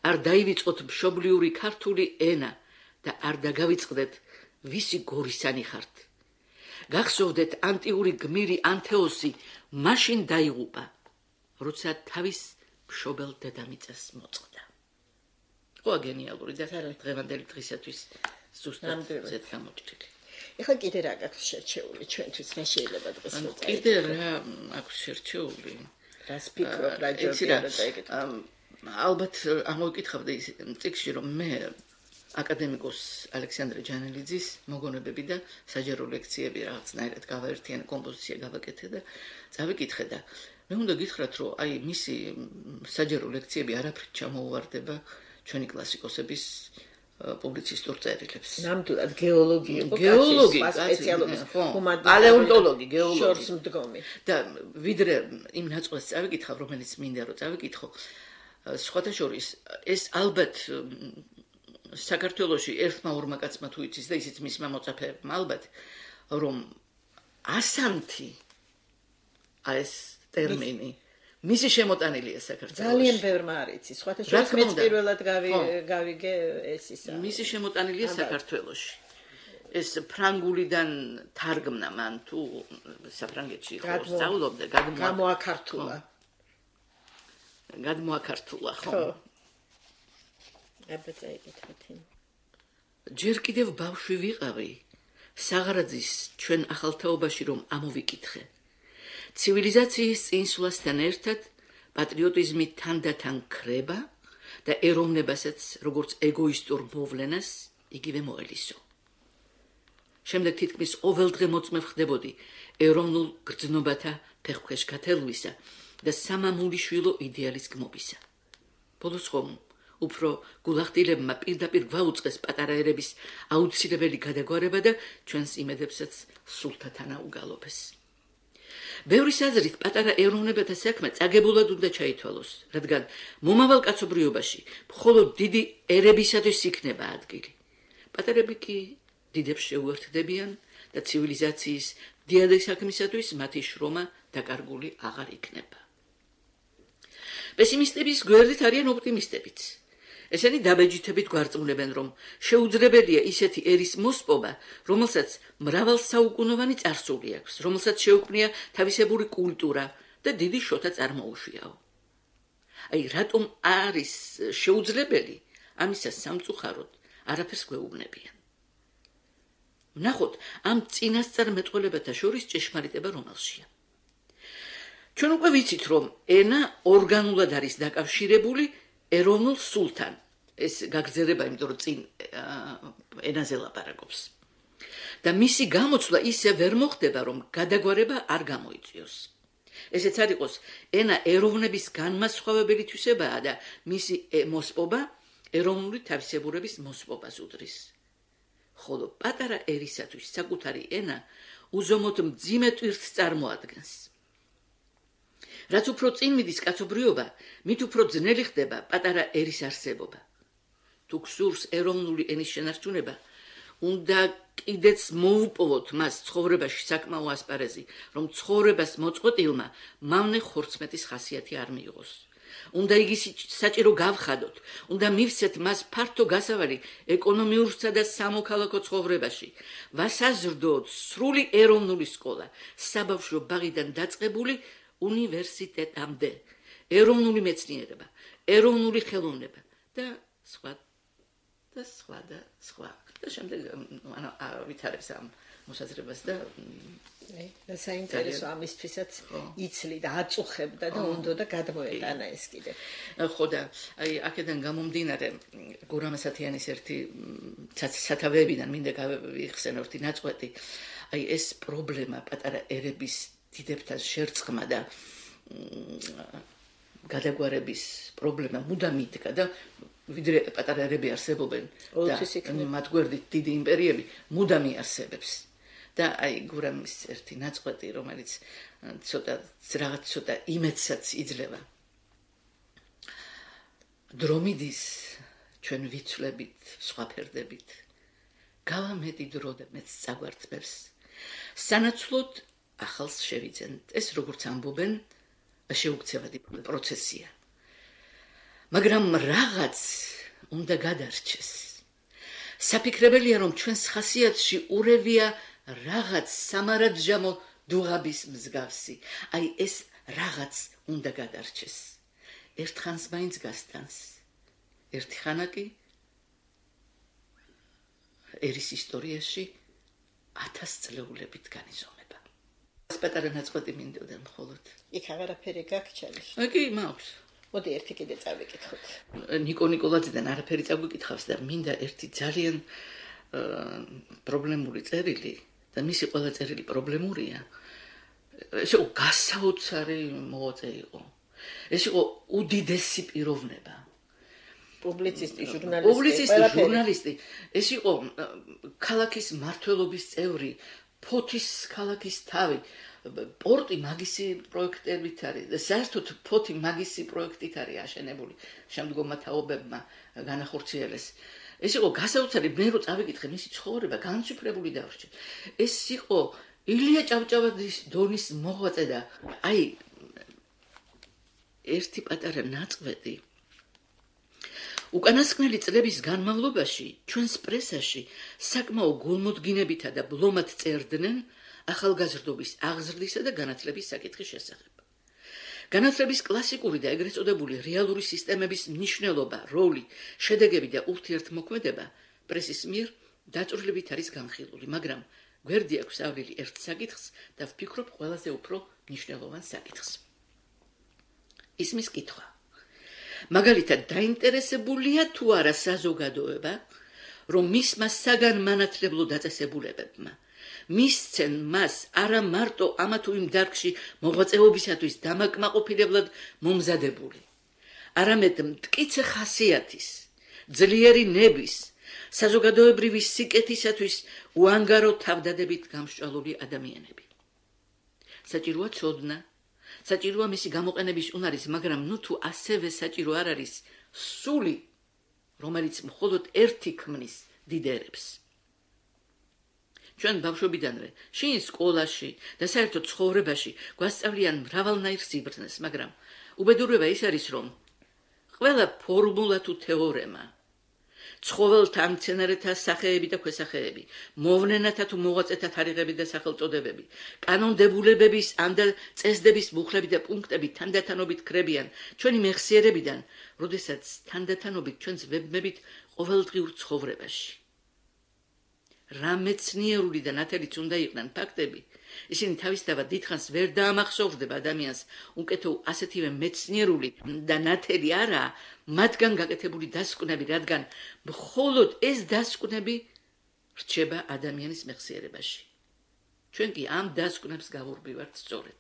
C: არ დაივიწყოთ მშობლიური ქართული ენა და არ დაგავიწყდეთ ვისი გორისანი ხართ. გახსოვდეთ ანტიური გმირი ანთეოსი მაშინ დაიღუპა, როცა თავის მშობელ დედამიწას მოწყდა. ხო გენიალური და დღევანდელი დღისათვის ზუსტად ზედ გამოჭრილი.
B: ეხლა კიდე რა გაქვს შერჩეული ჩვენთვის რა შეიძლება დღეს მოწაიღოთ?
C: კიდე რა აქვს შერჩეული?
B: რას ფიქრობ რა ჯობია და ეგეთ?
C: ალბათ ამოვიკითხავდი წიგნში რომ მე აკადემიკოს ალექსანდრე ჯანელიძის მოგონებები და საჯარო ლექციები რაღაცნაირად გავაერთიანე, კომპოზიცია გავაკეთე და წავიკითხე და მე უნდა გითხრათ რომ აი მისი საჯარო ლექციები არაფრით ჩამოუვარდება ჩვენი კლასიკოსების პუბლიცისტურ წერილებს.
B: ნამდვილად გეოლოგი იყო, სპეციალობის
C: პალეონტოლოგი, გეოლოგი.
B: შორს მდგომი.
C: და ვიდრე იმ ნაწყვეს წავიკითხავ, რომელიც მინდა რომ წავიკითხო, სხვათა შორის ეს ალბათ საქართველოში ერთმა ორმა კაცმა თუ იცის და ისიც მისმა მოწაფეებმა ალბათ რომ ასანთი ეს ტერმინი მისი შემოტანილია საქართველოში.
B: ძალიან ბევრმა არ იცის. სხვათა შორის მეც პირველად გავიგე ეს ისა.
C: მისი შემოტანილია საქართველოში. ეს ფრანგულიდან თარგმნა მან თუ საფრანგეთში ხო სწავლობდა,
B: გამოაქართულა.
C: გადმოაქართულა ხო?
B: ხო. აბა წაიკითხეთ.
C: ჯერ კიდევ ბავშვი ვიყავი, საღარაძის ჩვენ ახალთაობაში რომ ამოვიკითხე. ცივილიზაციის წინსვლასთან ერთად პატრიოტიზმი თანდათან ქრება და ეროვნებასაც როგორც ეგოისტურ მოვლენას იგივე მოელისო. შემდეგ თითქმის ყოველდღე მოწმე ხდებოდი ეროვნულ გრძნობათა ფეხქვეშ გათელვისა და სამამულიშვილო იდეალის გმობისა. ბოლოს ხომ უფრო გულახდილებმა პირდაპირ გვაუწყეს პატარა ერების აუცილებელი გადაგვარება და ჩვენს იმედებსაც სულთათანა უგალობეს. ბევრის აზრით პატარა ეროვნებათა საქმე წაგებულად უნდა ჩაითვალოს, რადგან მომავალ კაცობრიობაში მხოლოდ დიდი ერებისათვის იქნება ადგილი. პატარები კი დიდებს შეუერთდებიან და ცივილიზაციის დიადი საქმისათვის მათი შრომა დაკარგული აღარ იქნება. პესიმისტების გვერდით არიან ოპტიმისტებიც. ესენი დაბეჯითებით გვარწმუნებენ, რომ შეუძლებელია ისეთი ერის მოსპობა, რომელსაც მრავალსაუკუნოვანი წარსული აქვს, რომელსაც შეუქმნია თავისებური კულტურა და დიდი შოთა წარმოუშვიაო. აი, რატომ არის შეუძლებელი, ამისას სამწუხაროდ არაფერს გვეუბნებიან. ვნახოთ ამ წინასწარმეტყველებათა შორის ჭეშმარიტება რომელშია. ჩვენ უკვე ვიცით, რომ ენა ორგანულად არის დაკავშირებული ეროვნულ სულთან. ეს გაგრძელება, იმიტომ რომ წინ ენაზე ლაპარაკობს. და მისი გამოცვლა ისე ვერ მოხდება, რომ გადაგვარება არ გამოიწვიოს. ესეც არ იყოს ენა ეროვნების განმასხვავებელი თვისებაა და მისი მოსპობა ეროვნული თავისებურების მოსპობას უდრის. ხოლო პატარა ერისათვის საკუთარი ენა უზომოდ მძიმე ტვირთს წარმოადგენს. რაც უფრო წინ მიდის კაცობრიობა, მით უფრო ძნელი ხდება პატარა ერის არსებობა. თუ გსურს ეროვნული ენის შენარჩუნება, უნდა კიდეც მოუპოვოთ მას ცხოვრებაში საკმაო ასპარეზი, რომ ცხოვრებას მოწყვეტილმა მავნე ხორცმეტის ხასიათი არ მიიღოს. უნდა იგი საჭირო გავხადოთ, უნდა მივცეთ მას ფართო გასავალი ეკონომიურსა და სამოქალაქო ცხოვრებაში, ვასაზრდოთ სრული ეროვნული სკოლა, საბავშვო ბაღიდან დაწყებული უნივერსიტეტამდე, ეროვნული მეცნიერება, ეროვნული ხელოვნება და სხვა და სხვა და სხვა. და შემდეგ ვითარებს ამ მოსაზრებას და
B: და საინტერესო ამისთვისაც იცლი და აწუხებდა და უნდა გადმოეტანა ეს კიდე.
C: ხო და აი აქედან გამომდინარე გურამ ასათიანის ერთი სათავეებიდან მინდა გავიხსენოთ ნაწყვეტი. აი ეს პრობლემა პატარა ერების დიდებთან შერწყმა და გადაგვარების პრობლემა მუდამ იდგა და ვიდრე პატარა ერები არსებობენ და მათ გვერდით დიდი იმპერიები მუდამ იარსებებს. და აი გურამის ერთი ნაწყვეტი, რომელიც ცოტა იმედსაც იძლევა. დრომიდის ჩვენ ვიცვლებით, სხვა ფერდებით. გავამეტი დრო და მეც წაგვარწმევს. სანაცვლოდ ახალს შევიძენთ. ეს როგორც ამბობენ, შეუქცევადი პროცესია. მაგრამ რაღაც უნდა გადარჩეს. საფიქრებელია, რომ ჩვენს ხასიათში ურევია რაღაც სამარადჟამო დუღაბის მსგავსი. აი ეს რაღაც უნდა გადარჩეს. ერთხანს მაინც გასტანს. ერთი ხანა კი ერის ისტორიაში 1000 წლეულებით განიზომება. ეს პატარა ნაწყვეტი მინდოდა მხოლოდ.
B: იქ აღარაფერი გაგჩალის.
C: კი, მაქვს.
B: მოდი ერთი კიდე წავიკითხოთ.
C: ნიკო ნიკოლაძიდან არაფერი წაგვიკითხავს და მინდა ერთი ძალიან პრობლემური წერილი და მისი ყველა წერილი პრობლემურია. ეს იყო გასაოცარი მოღვაწე იყო. ეს იყო უდიდესი პიროვნება.
B: პუბლიცისტი,
C: ჟურნალისტი. ეს იყო ქალაქის მმართველობის წევრი, ფოთის ქალაქის თავი. პორტი მაგისი პროექტებით არის და საერთოდ ფოთი მაგისი პროექტით არის აშენებული შემდგომმა თაობებმა განახორციელეს. ეს იყო გასაოცარი, მე რო წავიკითხე მისი ცხოვრება, განშიფრებული დავრჩე. ეს იყო ილია ჭავჭავაძის დონის მოღვაწე და აი ერთი პატარა ნაწყვეტი უკანასკნელი წლების განმავლობაში ჩვენს პრესაში საკმაო გულმოდგინებითა და ბლომად წერდნენ ახალგაზრდობის აღზრდისა და განათლების საკითხის შესახებ. განათლების კლასიკური და ეგრეთ წოდებული რეალური სისტემების მნიშვნელობა, როლი, შედეგები და ურთიერთმოქმედება პრესის მიერ დაწვრილებით არის განხილული, მაგრამ გვერდი აქვსავლილი ერთ საკითხს და ვფიქრობ ყველაზე უფრო მნიშვნელოვან საკითხს. ისმის კითხვა. მაგალითად, დაინტერესებულია თუ არა საზოგადოება, რომ მისმა საგანმანათლებლო დაწესებულებებმა მისცენ მას არა მარტო ამა თუ იმ დარგში მოღვაწეობისათვის დამაკმაყოფილებლად მომზადებული, არამედ მტკიცე ხასიათის, ძლიერი ნების, საზოგადოებრივი სიკეთისათვის უანგარო თავდადებით გამსჭვალული ადამიანები. საჭიროა ცოდნა, საჭიროა მისი გამოყენების უნარის, მაგრამ თუ ასევე საჭირო არ არის სული, რომელიც მხოლოდ ერთი ქმნის დიდერებს. ჩვენ ბავშვობიდანვე შინ სკოლაში და საერთოდ ცხოვრებაში გვასწავლიან მრავალნაირ სიბრძნეს, მაგრამ უბედურება ის არის, რომ ყველა ფორმულა თუ თეორემა, ცხოველთა ან მცენარეთა სახეები და ქვესახეები, მოვლენათა თუ მოღვაწეთა თარიღები და სახელწოდებები, კანონდებულებების ან წესდების მუხლები და პუნქტები თანდათანობით ქრებიან ჩვენი მეხსიერებიდან, როდესაც თანდათანობით ჩვენს ვებმებით ყოველდღიურ ცხოვრებაში. რა მეცნიერული და ნათელიც უნდა იყვნენ ფაქტები, ისინი თავისთავად დიდხანს ვერ დაამახსოვრდება ადამიანს, უკეთო ასეთივე მეცნიერული და ნათელი არაა მათგან გაკეთებული დასკვნები, რადგან მხოლოდ ეს დასკვნები რჩება ადამიანის მეხსიერებაში. ჩვენ კი ამ დასკვნებს გავურბივართ სწორედ.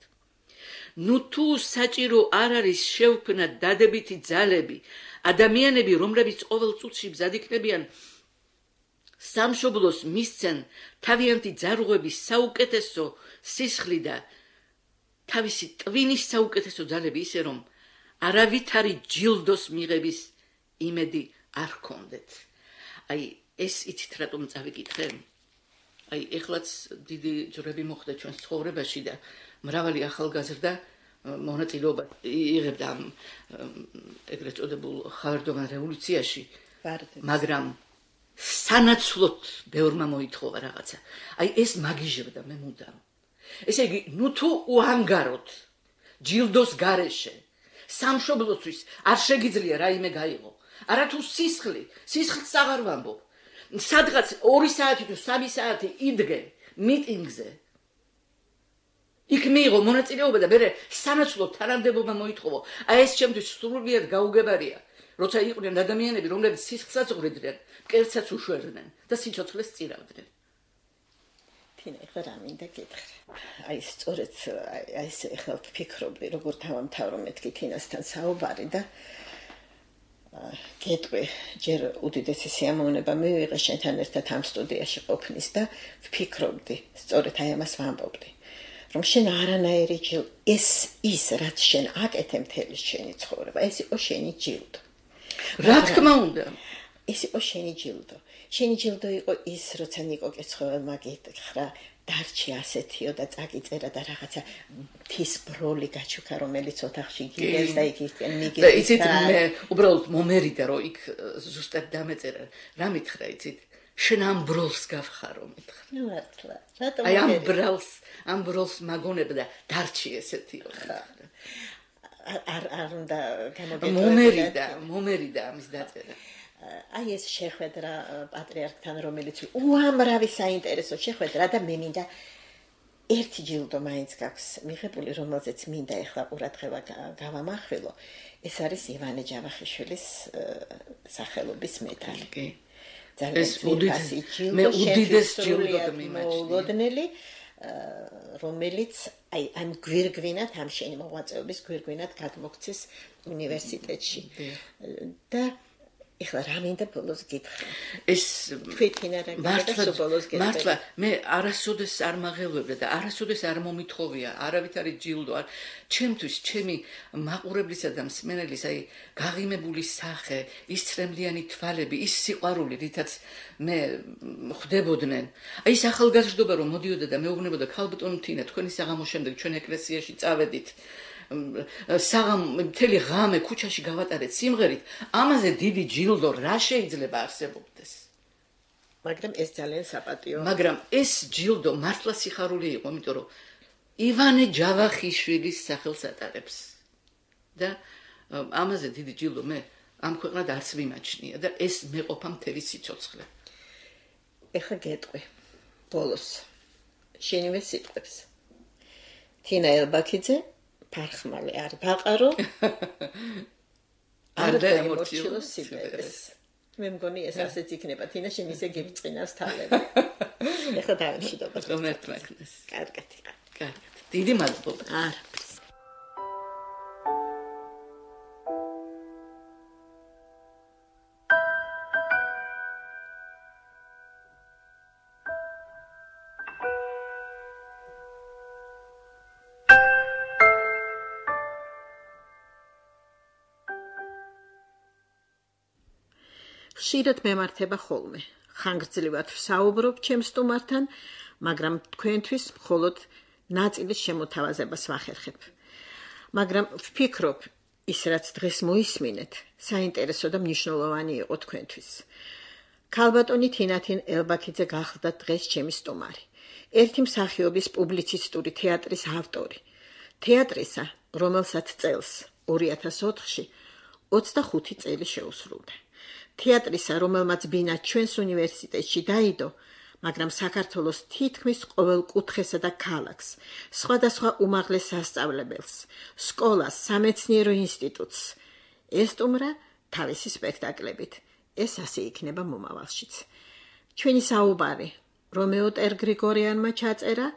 C: თუ საჭირო არ არის შევქმნათ დადებითი ძალები, ადამიანები, რომლებიც ყოველ წუთში მზად იქნებიან სამშობლოს მისცენ თავიანთი ძარღვების საუკეთესო სისხლი და თავისი ტვინის საუკეთესო ძალები, ისე რომ არავითარი ჯილდოს მიღების იმედი არ ჰქონდეთ. ეს იცით რატომ წავიკითხე? ეხლაც დიდი ჯვრები მოხდა ჩვენს ცხოვრებაში და მრავალი ახალგაზრდა მონაწილეობა იღებდა ამ ეგრეთ წოდებულ ხავერდოვან რევოლუციაში, მაგრამ სანაცვლოდ ბევრმა მოითხოვა რაღაცა. ეს მაგიჟებდა მე მუდამ. ესე იგი, თუ უანგაროთ ჯილდოს გარეშე სამშობლოსთვის არ შეგიძლია რაიმე გაიღო. არა თუ სისხლს აღარ ვამბობ. სადღაც 2 საათი თუ 3 საათი იდგე მიტინგზე. იქ მიიღო მონაწილეობა და მე სანაცვლოდ თანამდებობა მოითხოვო. ეს ჩემთვის სრულიად გაუგებარია. როცა იყვნენ ადამიანები, რომლებიც სისხლსაც უღრიდნენ, მკერდსაც უშვერდნენ და სიცოცხლეს წირავდნენ.
B: თინა, ეხლა რა მინდა გითხრა. სწორედ ეს ეხლა ვფიქრობდი, როგორ დავამთავრო მეთქი თინასთან საუბარი და გეტყვი, ჯერ უდიდესი სიამოვნება მივიღე შენთან ერთად ამ სტუდიაში ყოფნის და ვფიქრობდი, სწორედ ამას ვამბობდი, რომ შენ არანაირი ის რაც შენ აკეთე მთელი შენი ცხოვრება, ეს იყო შენი ჯილდო.
C: რა თქმა უნდა.
B: ეს იყო შენი ჯილდო. შენი ჯილდო იყო ის, როცა ნიკო კეცხოველმა გითხრა, დარჩი ასეთიო და წაგიწერა და რაღაცა მთის ბროლი გაჩუქა, რომელიც ოთახში გიგეს და იქ მიგეს.
C: და იცით, მე უბრალოდ მომერიდა, რომ იქ ზუსტად დამეწერა. რა მითხრა, იცით? შენ ამ ბროლს გავხარო, მითხრა.
B: მართლა. რატომ
C: ამ ბროლს მაგონებ და დარჩი ესეთიო.
B: არ უნდა გამოგეწევინა.
C: მომერიდა ამის დაწერა.
B: ეს შეხვედრა პატრიარქთან, რომელიც უამრავი საინტერესო შეხვედრა და მე მინდა ერთი ჯილდო მაინც გაქვს მიღებული, რომელზეც მინდა ეხლა ყურადღება გავამახვილო. ეს არის ივანე ჯავახიშვილის სახელობის მედალი.
C: ეს უდიდეს ჯილდო მიმაჩნია.
B: რომელიც ამ გვირგვინად, ამ შენი მოღვაწეობის გვირგვინად გადმოგცეს უნივერსიტეტში. და ეხლა რა მინდა ბოლოს გითხრა.
C: ეს
B: თვითინა რა გითხრა და ბოლოს გითხრა.
C: მართლა მე არასოდეს არ მაღელვებდა და არასოდეს არ მომითხოვია არავითარი ჯილდო. ჩემთვის, ჩემი მაყურებლისა და მსმენელის გაღიმებული სახე, ის ცრემლიანი თვალები, ის სიყვარული, რითაც მე ხვდებოდნენ. ის ახალგაზრდობა რომ მოდიოდა და მეუბნებოდა, ქალბატონო თინა, თქვენი საღამოს შემდეგ ჩვენ ეკლესიაში წავედით. მთელი ღამე ქუჩაში გავატარეთ სიმღერით, ამაზე დიდი ჯილდო რა შეიძლება არსებობდეს?
B: მაგრამ ეს ძალიან საპატიო.
C: მაგრამ ეს ჯილდო მართლა სიხარული იყო, იმიტომ რომ ივანე ჯავახიშვილის სახელს ატარებს. და ამაზე დიდი ჯილდო მე ამ ქვეყნად არც მიმაჩნია და ეს მეყოფა მთელი სიცოცხლე.
B: ეხლა გეტყვი. ბოლოს შენივე სიტყვებს. თინა ელბაქიძე ფარხმალი არ ბაყარო არ დაიმორჩილო სიბერეს. მე მგონი ეს ასეც იქნება. თინა შენ ისე გიბწყინავს თალები. ეხლა დავიმშვიდობ.
C: ღმერთმაგნეს.
B: კარგად იყავ.
C: კარგად. დიდი მადლობა.
B: არაფერს. ხშირად მემართება ხოლმე. ხანგრძლივად ვსაუბრობ ჩემს სტუმართან, მაგრამ თქვენთვის მხოლოდ ნაწილის შემოთავაზებას ვახერხებ. მაგრამ ვფიქრობ, ის რაც დღეს მოისმინეთ, საინტერესო და მნიშვნელოვანი იყო თქვენთვის. ქალბატონი თინათინ ელბაქიძე გახლდა დღეს ჩემი სტუმარი. ერთი მსახიობის პუბლიცისტური თეატრის ავტორი. თეატრისა, რომელსაც წელს 2004-ში 25 წელი შეუსრულდა. თეატრისა, რომელმაც ბინა ჩვენს უნივერსიტეტში დაიდო, მაგრამ საქართველოს თითქმის ყოველ კუთხესა და ქალაქს, სხვადასხვა უმაღლეს სასწავლებელს, სკოლას, სამეცნიერო ინსტიტუტს ესტუმრა თავისი სპექტაკლებით. ეს ასე იქნება მომავალშიც. ჩვენი საუბარი რომეო ტერგრიგორიანმა ჩაწერა,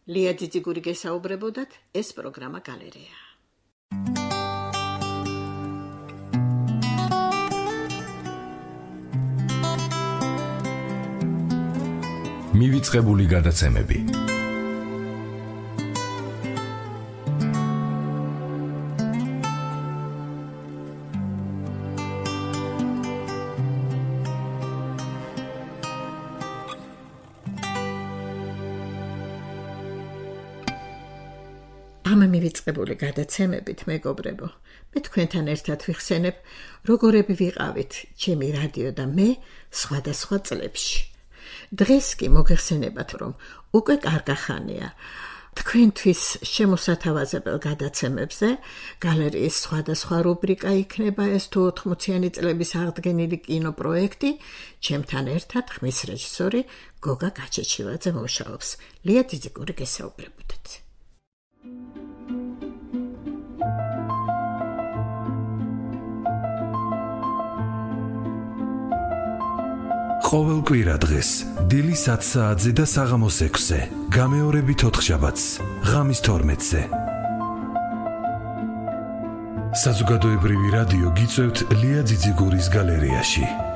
B: ლია ძიძიგური გესაუბრებოდათ, ეს პროგრამა გალერეა.
A: მივიწყებული გადაცემები.
B: ამ მივიწყებული გადაცემებით, მეგობრებო, მე თქვენთან ერთად ვიხსენებ, როგორები ვიყავით ჩემი რადიო და მე სხვადასხვა წლებში. დღეს კი მოგეხსენებათ, რომ უკვე კარგახანია თქვენთვის შემოსათავაზებელ გადაცემებზე გალერეის სხვადასხვა რუბრიკა იქნება ეს თუ 80-იანი წლების აღდგენილი კინოპროექტი, ჩემთან ერთად ხმის რეჟისორი გოგა გაჩეჩილაძე მუშაობს. ლია ძიძიგური გესაუბრებოდათ.
A: ყოველ კვირა დღეს დილის 10 საათზე და საღამოს 6-ზე, გამეორებით 4 შაბათს, ღამის 12-ზე. საზოგადოებრივი რადიო გიწევთ ლია ძიძიგურის გალერეაში.